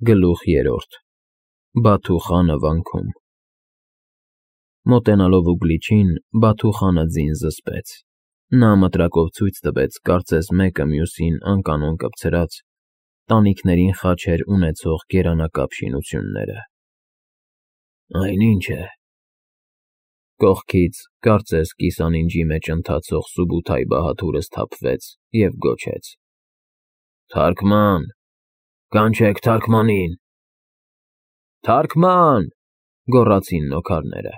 Գլուխ 3 Բաթու խանը վանքում Մոտենալով Ուգլիչին, Բաթու խանը ձին զսպեց. նա մտրակով ցույց տվեց կարծես մեկը մյուսին անկանոն կպցրած, տանիքներին խաչեր ունեցող կերանակապ շինությունները։ Այն ի՞նչ է։ Կողքից, կարծես կիսանինջի մեջ ընթացող Սուբութայի բահաթուրը սթափվեց և գոչեց. Թարգման, կանչեք թարգմանին։ Թարգման, գոռացին նոքարները։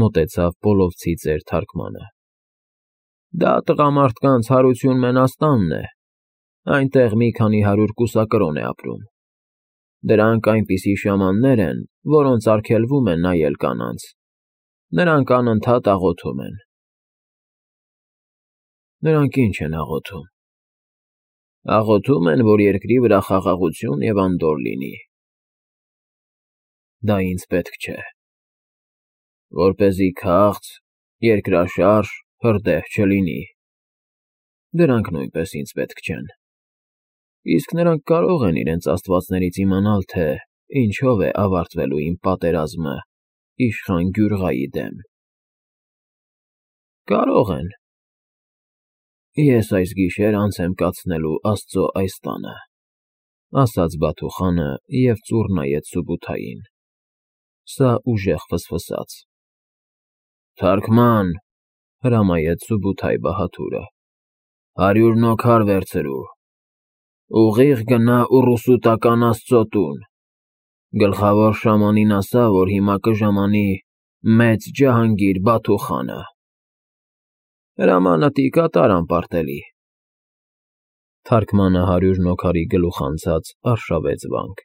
Մոտեցավ Պոլովցի ծեր թարգմանը։ Դա տղամարդկանց հարություն մենաստանն է, այնտեղ մի քանի 100 կուսակրոն է ապրում։ Դրանք այնպիսի շամաններ են, որոնց արգելվում է նայել կանանց, նրանք անընդհատ աղոթում են։ Նրանք ի՞նչ են աղոթում։ Աղոթում են, որ երկրի վրա խաղաղություն և անդորր լինի։ Դա ինձ պետք չէ։ Որպեսզի քաղց, երկրաշարժ, հրդեհ չլինի։ Դրանք նույնպես ինձ պետք չեն։ Իսկ նրանք կարող են իրենց աստվածներից իմանալ, թե ինչով է ավարտվելու իմ պատերազմը իշխան Գյուրղայի դեմ։ Կարող են։ Ես այս գիշեր անց եմ կացնելու Աստծո այս տանը, ասաց Բաթու խանը և ծուռ նայեց Սուբութային։ Սա ուժեղ ֆսֆսաց։ Թարգման, հրամայեց Սուբութայի բահաթուրը, 100 նոքար վերցրու, ուղիղ գնա ուռուսուտական Աստծո տուն, գլխավոր շամանին ասա, որ հիմա կժամանի մեծ Ջահանգիր Բաթու խանը։ Հրամանըտի կատար անպարտելի։ Թարգմանը 100 նոքարի գլուխ անցած արշավեց վանք,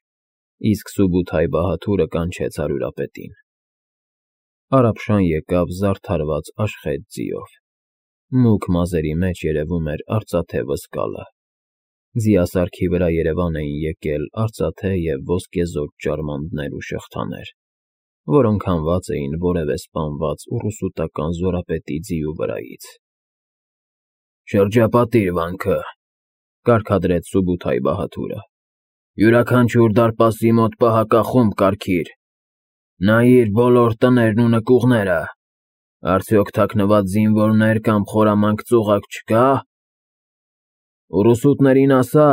իսկ Սուբութայի բահաթուրը կանչեց հարյուրապետին։ Արաբշան եկավ զարդարված աշխետ ձիով։ Մուգ մազերի մեջ երևում էր արծաթե վսկալը։ Ձիասարքի վրա երևան էին եկել արծաթե և ոսկեզօծ ճարմաններ ու շղթաներ, որոնք հանված էին որևէ սպանված ուռուսուտական զորապետի ձիու վրայից։ Շրջապատիր վանքը, կարգադրեց Սուբութայի բահաթուրը։ Յուրաքանչյուր դարպասի մոտ պահակախումբ կարգիր։ Նայիր բոլոր տներն ու նկուղները, արդյոք թաքնված զինվորներ կամ խորամանկ ծուղակ չկա։ Ուռուսուտներին ասա,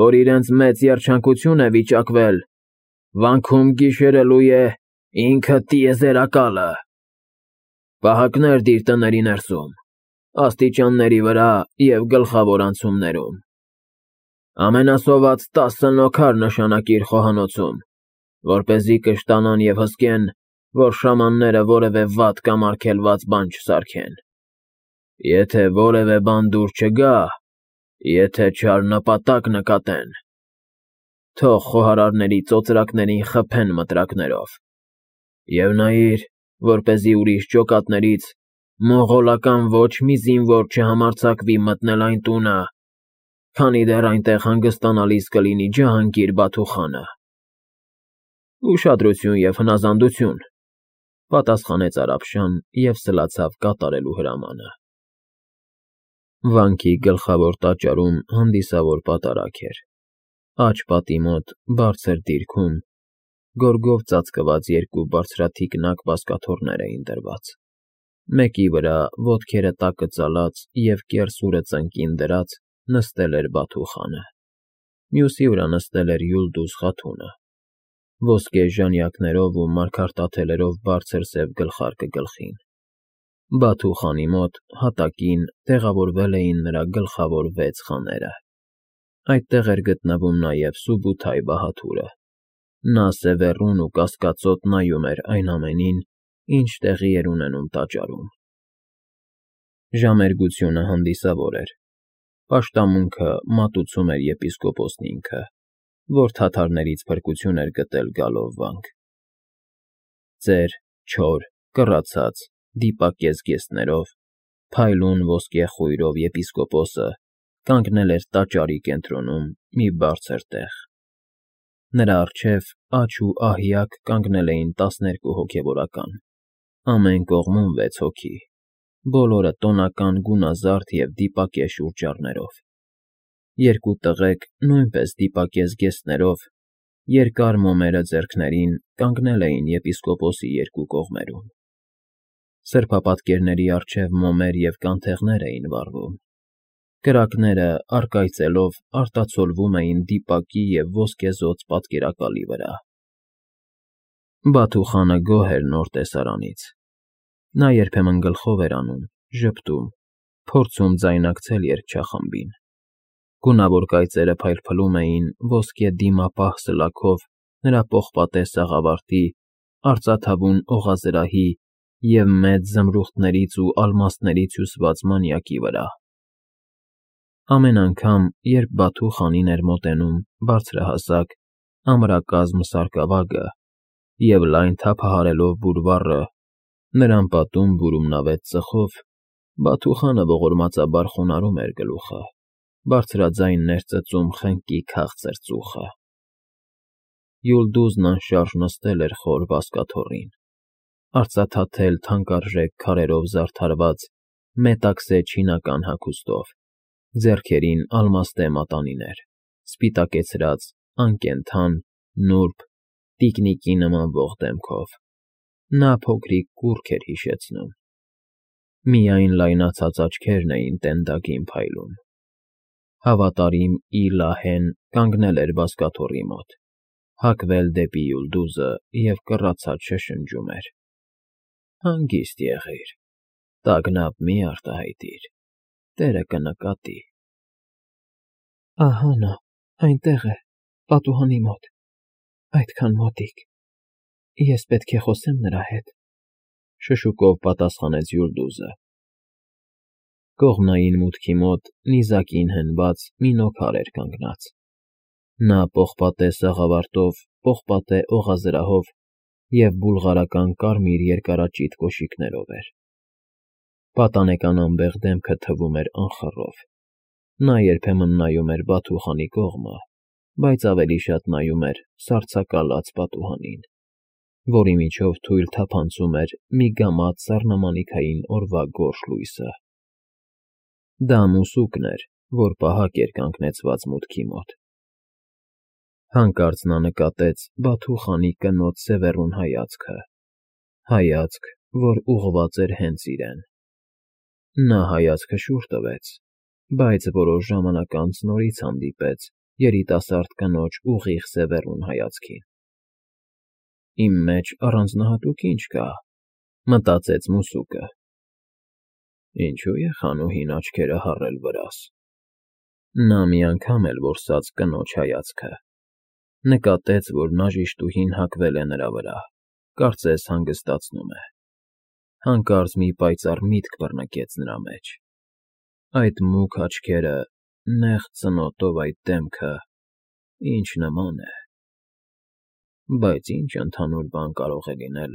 որ իրենց մեծ երջանկություն է վիճակվել, վանքում գիշերելու է ինքը տիեզերակալը։ Պահակներ դիր տների ներսում, աստիճանների վրա և գլխավոր անցումներում։ Ամենասոված 10 նոքար նշանակիր խոհանոցում, որպեսզի կշտանան և հսկեն, որ շամանները որևէ վատ կամ արգելված բան չսարքեն։ Եթե որևէ բան դուր չգա, եթե չար նպատակ նկատեն, թող խոհարարների ծոծրակներին խփեն մտրակներով։ Եվ նայիր, որպեսզի ուրիշ ջոկատներից մոնղոլական ոչ մի զինվոր չհամարձակվի մտնել այն տունը, քանի դեռ այնտեղ հանգստանալիս կլինի Ջահանգիր Բաթու խանը։ Ուշադրություն և հնազանդություն, պատասխանեց Արաբշան և սլացավ կատարելու հրամանը։ Վանքի գլխավոր տաճարում հանդիսավոր պատարագ էր։ Աջ պատի մոտ, բարձր դիրքում, գորգով ծածկված երկու բարձրաթիկնակ բազկաթոռներ էին դրված։ Մեկի վրա, ոտքերը տակը ծալած և կեռսուրը ծնկին դրած, նստել էր Բաթու խանը, մյուսի վրա նստել էր Յուլդուզ խաթունը, ոսկե ժանյակներով ու մարգարտաթելերով բարձր սև գլխարկը գլխին։ Բաթու խանի մոտ, հատակին, տեղավորվել էին նրա գլխավոր 6 խաները։ Այդտեղ էր գտնվում նաև Սուբութայի բահաթուրը։ Նա սևեռուն ու կասկածոտ նայում էր այն ամենին, ինչ տեղի էր ունենում տաճարում։ Ժամերգությունը հանդիսավոր էր։ Պաշտամունքը մատուցում էր եպիսկոպոսն ինքը, որ թաթարներից փրկություն էր գտել գալով վանք։ Ծեր, չոր, կռացած, դիպակ կեզգեստներով, փայլուն ոսկե խույրով եպիսկոպոսը կանգնել էր տաճարի կենտրոնում մի բարձր տեղ։ Նրա առջև աջ ու ահիակ կանգնել էին 12 հոգևորական, ամեն կողմում 6 հոգի, բոլորը տոնական գունազարդ և դիպակե շուրճառներով։ Երկու տղեկ, նույնպես դիպակես գեստներով, երկար մոմերը ձեռքներին կանգնել էին եպիսկոպոսի երկու կողմերում. սրբապատկերների առջև մոմեր և կանթեղներ էին վառվում, կրակները առկայծելով արտացոլվում էին դիպակի և ոսկեզօծ պատկերակալի վրա։ Բաթուխանը գոհ էր նոր տեսարանից. նա երբեմն գլխով էր անում, ժպտում, փորձում ձայնակցել երգչախմբին։ Գունավոր կայծերը փայլփլում էին ոսկե դիմապահ սլաքով նրա պողպատե սաղավարտի, արծաթավուն օղազրահի և մեծ զմրուխտներից ու ալմաստներից հյուսված մանյակի վրա։ Ամեն անգամ, երբ Բաթուխանին էր մոտենում բարձրահասակ, ամրակազմ սարկավագը և լայն թափահարելով բուրվառը, նրան պատում բուրումնավետ ծխով, Բաթուխանը ողորմածաբար խոնարհում էր գլուխը, բարձրաձայն ներծծում խնկի քաղցր ծուխը։ Յուլդուզն անշարժ նստել էր խոր բազկաթոռին, արծաթաթել թանկարժեք քարերով զարդարված մետաքսե չինական հագուստով, ձեռքերին ալմաստե մատանիներ, սպիտակեցրած, անկենդան, նուրբ, տիկնիկի նմանվող դեմքով։ Նա փոքրիկ կուռք էր հիշեցնում։ Միայն լայնացած աչքերն էին տենդագին փայլում։ Հավատարիմ Իլահեն կանգնել էր բազկաթոռի մոտ, հակվել դեպի Յուլդուզը և կռացած շշնջում էր. «Հանգիստ եղիր, տագնապ մի արտահայտիր, տերը կնկատի»։ «Ահա նա, այնտեղ է, պատուհանի մոտ, այդքան մոտիկ, ես պետք է խոսեմ նրա հետ», շշուկով պատասխանեց Յուլդուզը։ Կողմնային մուտքի մոտ նիզակին հենված մի նոքար էր կանգնած։ Նա պողպատե սաղավարտով, պողպատե օղազրահով և բուլղարական կարմիր երկարաճիտ կոշիկներով էր։ Պատանեկան անբեղ դեմքը թվում էր անխռով։ Նա երբեմն նայում էր Բաթուխանի կողմը, բայց ավելի շատ նայում էր սառցակալած պատուհանին, որի միջով թույլ թափանցում էր մի գամած սառնամանիքային օրվա գորշ լույսը։ Դա մուսուկն էր, որ պահակ էր կանգնեցված մուտքի մոտ։ Հանկարծ նա նկատեց Բաթուխանի կնոջ սևեռուն հայացք, որ ուղղված էր հենց իրեն։ Նա հայացքը շուռ տվեց, բայց որոշ ժամանակ անց նորից հանդիպեց երիտասարդ կնոջ ուղիղ սևեռուն հայացքին։ «Իմ մեջ առանձնահատուկ ինչ կա», մտածեց մուսուկը։ «Ինչու է խանուհին աչքերը հառել վրաս»։ Նա մի անգամ էլ որսաց կնոջ հայացքը։ Նկատեց, որ նաժիշտուհին հակվել է նրա վրա, կարծես հանգստացնում է։ Հանկարծ մի պայծառ միտք բռնկեց նրա մեջ։ Այդ մուգ աչքերը, նեղ ծնոտով այդ դեմքը, ինչ նման է։ Բայց ինչ ընդհանուր բան կարող է լինել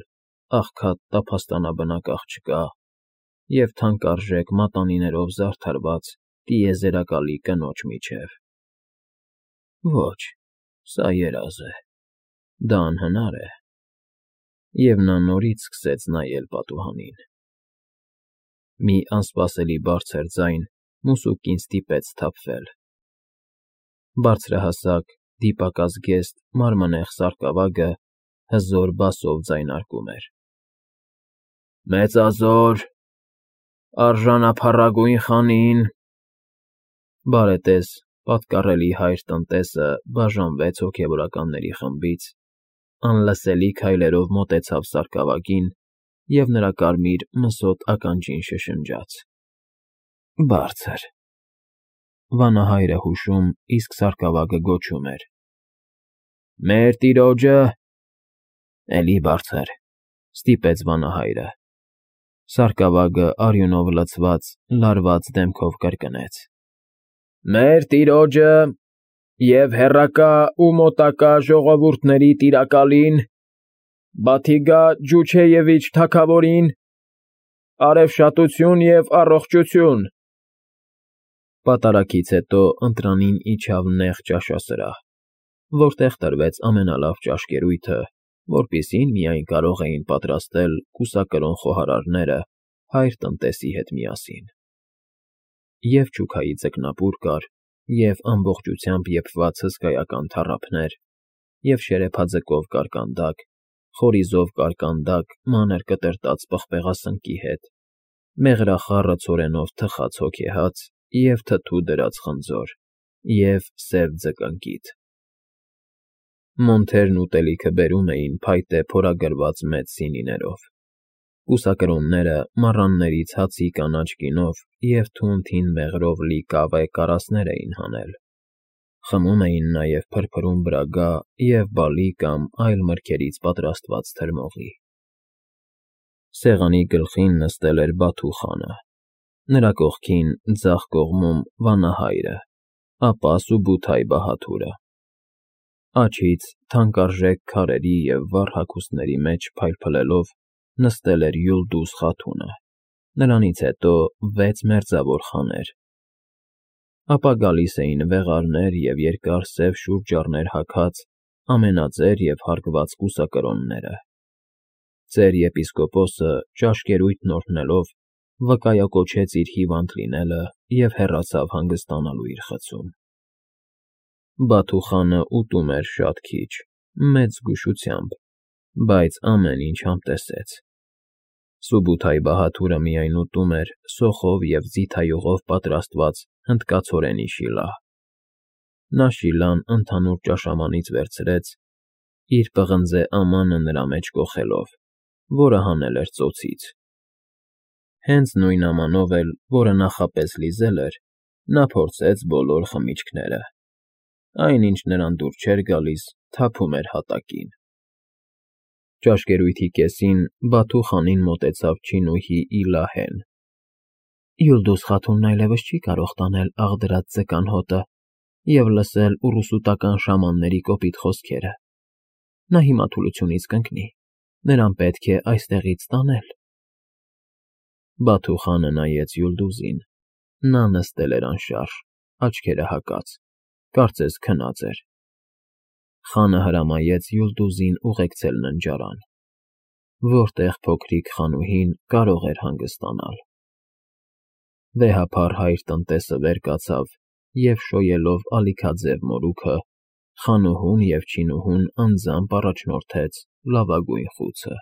աղքատ տափաստանաբնակ աղջկա և թանկարժեք մատանիներով զարդարված տիեզերակալի կնոջ միջև։ Ոչ, սա երազ է, դա անհնար է։ Եվ նա նորից սկսեց նայել պատուհանին։ Մի անսպասելի բարձր ձայն մուսուկին ստիպեց սթափվել։ Բարձրահասակ, դիպակազգեստ, մանրանեղ սարկավագը հզոր բասով ձայնարկում էր. «Մեծազոր, արժանափառագույն խանին»։ Բարետես, պատկառելի հայր տնտեսը բաժանվեց հոգևորականների խմբից, անլսելի քայլերով մոտեցավ սարկավագին և նրա կարմիր մսոտ ականջին շշնջաց. «Բարձր»։ Վանահայրը հուշում, իսկ սարկավագը գոչում էր. «Մեր տիրոջը»։ «Էլի բարձր», ստիպեց վանահայրը։ Սարկավագը արյունով լցված, լարված դեմքով կրկնեց. «Մեր տիրոջը և հեռակա ու մոտակա ժողովուրդների տիրակալին, Բաթիգա Ջուչեևիչ թագավորին, արևշատություն և առողջություն»։ Պատարագից հետո ընտրանին իջավ նեղ ճաշասրահ, որտեղ տրվեց ամենալավ ճաշկերույթը, որպիսին միայն կարող էին պատրաստել կուսակրոն խոհարարները հայր տնտեսի հետ միասին։ Եվ չուքայի ձկնապուր կար, և ամբողջությամբ եփված հսկայական թառափներ, և շերեփաձկով կարկանդակ, խորիզով կարկանդակ մանր կտրտած պղպեղասնկի հետ, մեղրախառը ցորենով թխած հոգեհաց և թթու դրած խնձոր, և սև ձկնկիթ։ Մոնթերն ուտելիքը բերում էին փայտե փորագրված մեծ սինիներով, կուսակրոնները մառաններից հացի կանաչ գինով և թունդ հին մեղրով լի կավե կարասներ էին հանել, խմում էին նաև փրփրուն բրագա և բալի կամ այլ մրգերից պատրաստված թրմողի։ Սեղանի գլխին նստել էր Բաթու խանը, նրա կողքին, ձախ կողմում վանահայրը, ապա Սուբութայ Բահադուրը։ Աջից, թանկարժեք քարերի և վառ հագուստների մեջ փայլփլելով, նստել էր Յուլդուզ Խաթունը, նրանից հետո 6 մերձավոր խաներ, ապա գալիս էին վեղարներ և երկար սև շուրջառներ հագած ամենաձեր և հարգված կուսակրոնները։ Ծեր եպիսկոպոսը, ճաշկերույթն օրհնելով, վկայակոչեց իր հիվանդ լինելը և հեռացավ հանգստանալու իր խցում։ Բաթու խանը ուտում էր շատ քիչ, մեծ զգուշությամբ, բայց ամեն ինչ համտեսեց։ Սուբութայ Բահադուրը միայն ուտում էր սոխով և ձիթայուղով պատրաստված հնդկացորենի շիլա։ Նա շիլան ընդհանուր ճաշամանից վերցրեց, իր պղնձե ամանը նրա մեջ կոխելով, որը հանել էր ծոցից։ Հենց նույն ամանով էլ, որը նախապես լիզել էր, նա փորձեց բոլոր խմիչքները։ Այն, ինչ նրան դուր չէր գալիս, թափում էր հատակին։ Ճաշկերույթի կեսին Բաթու խանին մոտեցավ չինուհի Իլահեն։ Յուլդուզ Խաթունն այլևս չի կարող տանել աղդրած ձկան հոտը և լսել ուռուսուտական շամանների կոպիտ խոսքերը։ Նա հիմա թուլությունից կընկնի, նրան պետք է այստեղից տանել։ Բաթու խանը նայեց Յուլդուզին. նա նստել էր անշարժ, աչքերը հակած, կարծես քնած էր։ Խանը հրամայեց Յուլդուզին ուղեկցել ննջարան, որտեղ փոքրիկ խանուհին կարող էր հանգստանալ։ Վեհափառ հայր տնտեսը վեր կացավ և, շոյելով ալիքաձև մորուքը, խանուհուն և չինուհուն անձամբ առաջնորդեց լավագույն խուցը։